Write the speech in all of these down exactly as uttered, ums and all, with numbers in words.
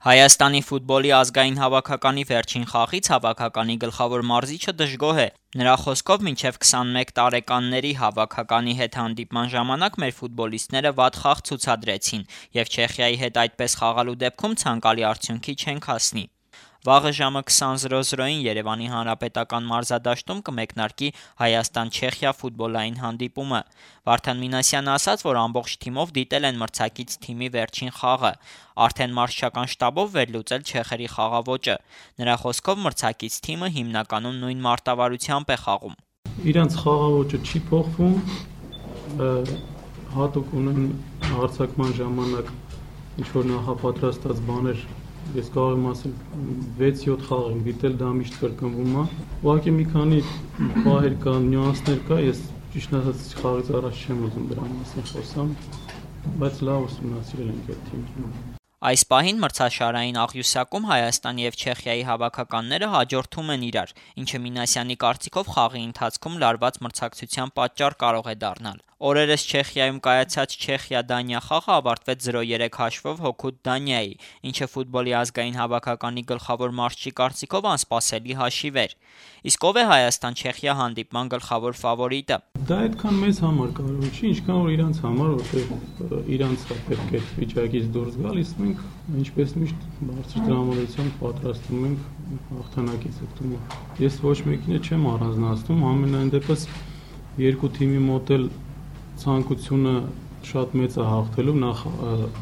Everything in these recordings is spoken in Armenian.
Հայաստանի ֆուտբոլի ազգային հավաքականի վերջին խաղից հավաքականի գլխավոր մարզիչը դժգոհ է։ Նրա խոսքով մինչև քսանմեկ տարեկանների հավաքականի հետ հանդիպման ժամանակ մեր ֆուտբոլիստները վատ խաղ ցուցադրեցին և Չեխիայի հետ այդպես խաղալու դեպքում ցանկալի արդյունքի չենք հասնի։ Վաղը ժամը քսան զրո զրոին Երևանի հանրապետական մարզադաշտում կմեկնարկի Հայաստան-Չեխիա ֆուտբոլային հանդիպումը։ Վարդան Մինասյանը ասաց, որ ամբողջ թիմով դիտել են մրցակից թիմի վերջին խաղը, արդեն մարզչական շտաբով վերլուծել չեխերի խաղաոճը։ Նրա խոսքով մրցակից թիմը հիմնականում նույն մարտավարությամբ է խաղում։ Իրանց խաղաոճը չի փոխվում, հատուկ ունեն հարձակման ժամանակ ինչ-որ նախապատրաստած բաներ, ես կարող եմ ասել վեց-յոթ խաղ եմ դիտել, դա միշտ կրկնվում է։ Ուղղակի մի քանի պահեր կա, նյուանսներ կա, ես ճիշտ ասած խաղից առաջ չեմ ուզում դրա մասին խոսամ, բայց լավ ուսումնասիրել ենք այդ թիմը։ Այս պահին մրցաշարային աղյուսակում Հայաստանի և Չեխիայի հավաքականները հաջորդում են իրար, ինչը Մինասյանի կարծիքով խաղի ընթացքում լարված մրցակցության պատճառ կարող է դառնալ։ Օրերս Չեխիայում կայացած Չեխիա-Դանիա խաղը ավարտվեց զրո երեք հաշվով հօգուտ Դանիայի, ինչը ֆուտբոլի ազգային հավաքականի գլխավոր մարզչի կարծիքով անսպասելի հաշիվ էր։ Իսկ ով է Հայաստան-Չեխիա հանդիպման գլխավոր ֆավորիտը։ Դա այդքան մեզ համար կարևոր չի, ինչքան որ իրանց համար, որտեղ իրանց է պետք է վիճակից դուրս գալ, իսկ մենք ինչպես միշտ բարձր տրամադրությամբ պատրաստվում ենք հաղթանակից օգտվում։ Ես ոչ մեկին չեմ առանձնացնում, ամենայն դեպս երկու թիմի մոտ էլ ցանկությունը շատ մեծ է հաղթելու, նախ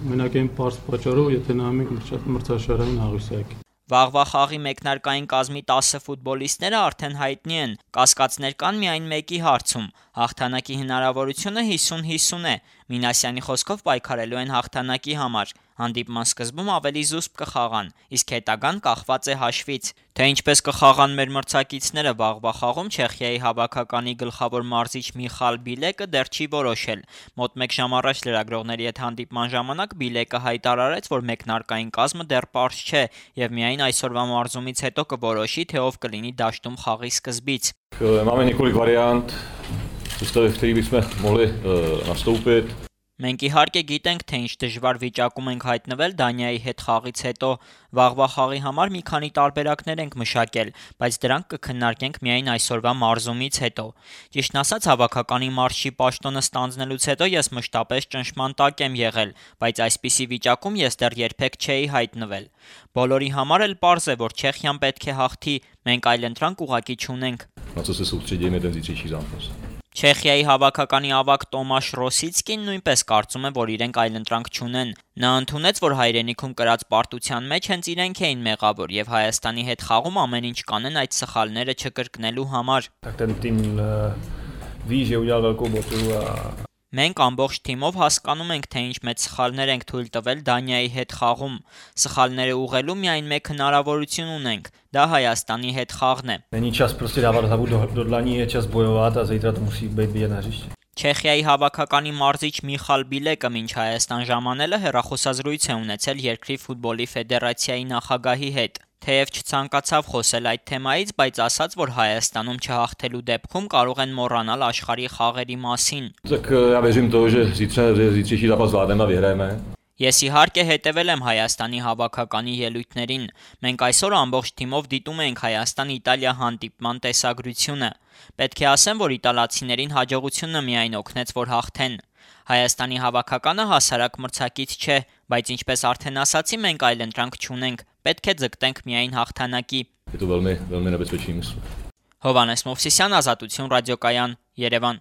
մենակ այն պարզ պատճառով, եթե նայում ենք մրցաշարային աղյուսակին։ Վաղվա խաղի մեկնարկային կազմի տասը ֆուտբոլիստները արդեն հայտնի են, կասկածներ կան միայն մեկի հարցում։ Հաղթանակի հնարավորությունը հիսուն հիսուն է։ Մինասյանի խոսքով պայքարելու են հաղթանակի համար։ Հանդիպման սկզբում ավելի զուսպ կխաղան, իսկ հետագան կախված է հաշվից։ Թե ինչպես կխաղան մեր մրցակիցները վաղվա խաղում, Չեխիայի հավաքականի գլխավոր մարզիչ Միխալ Բիլեկը դեռ չի որոշել։ Մոտ մեկ ժամ առաջ լրագրողների հետ հանդիպման ժամանակ Բիլեկը հայտարարեց, որ մեկնարկային կազմը դեռ պարզ չէ և միայն այսօրվա մարզումից հետո կորոշի, թե ով կլինի դաշտում խաղի սկզբից։ Máme několik variant, v kterých bychom mohli nastoupit. Մենք իհարկե գիտենք, թե ինչ դժվար վիճակում ենք հայտնվել Դանիայի հետ խաղից հետո, վաղվա խաղի համար մի քանի տարբերակներ ենք մշակել, բայց դրանք կքննարկենք միայն այսօրվա մարզումից հետո։ Ճիշտն ասած, հավաքականի մարզչի պաշտոնը ստանձնելուց հետո ես մշտապես ճնշման տակ եմ եղել, բայց այսպիսի վիճակում ես դեռ երբեք չէի հայտնվել։ Բոլորի համար էլ պարզ է, որ Չեխիան պետք է հաղթի, մենք այլընտրանք ուղղակի չունենք։ Չեխիայի հավաքականի ավագ Տոմաշ Ռոսիցկին նույնպես կարծում է, որ իրենք այլընտրանք չունեն։ Նա ընդունեց, որ հայրենիքում կրած պարտության մեջ հենց իրենք էին մեղավոր և Հայաստանի հետ խաղում ամեն ինչ կանեն այդ սխալները չկրկնելու համար։ Մենք ամբողջ թիմով հասկանում ենք, թե ինչ մեծ սխալներ ենք թույլ տվել Դանիայի հետ խաղում։ Սխալները ուղղելու միայն մեկ հնարավորություն ունենք, դա Հայաստանի հետ խաղն է։ Չեխիայի հավաքականի մարզիչ Միխալ Բիլեկը մինչ Հայաստան ժամանելը հեռախոսազրույց է ունեցել երկրի ֆուտբոլի ֆեդերացիայի նախագահի հետ։ Թեև չցանկացավ խոսել այդ թեմայից, բայց ասաց, որ Հայաստանում չհաղթելու դեպքում կարող են մոռանալ աշխարհի խաղերի մասին։ Ես իհարկե հետևել եմ Հայաստանի հավաքականի ելույթներին։ Մենք այսօր ամբողջ թիմով դիտում ենք Հայաստան-Իտալիա հանդիպման տեսագրությունը։ Պետք է ասեմ, որ իտալացիներին հաջողությունը միայն օգնեց, որ հաղթեն։ Հայաստանի հավաքականը հասարակ մրցակից չէ, բայց ինչպես արդեն ասացի, մենք այլընտրանք չունենք, պետք է ձգտենք միայն հաղթանակի։ Հովհաննես Մովսիսյան, Ազատություն ռադիոկայան, Երևան։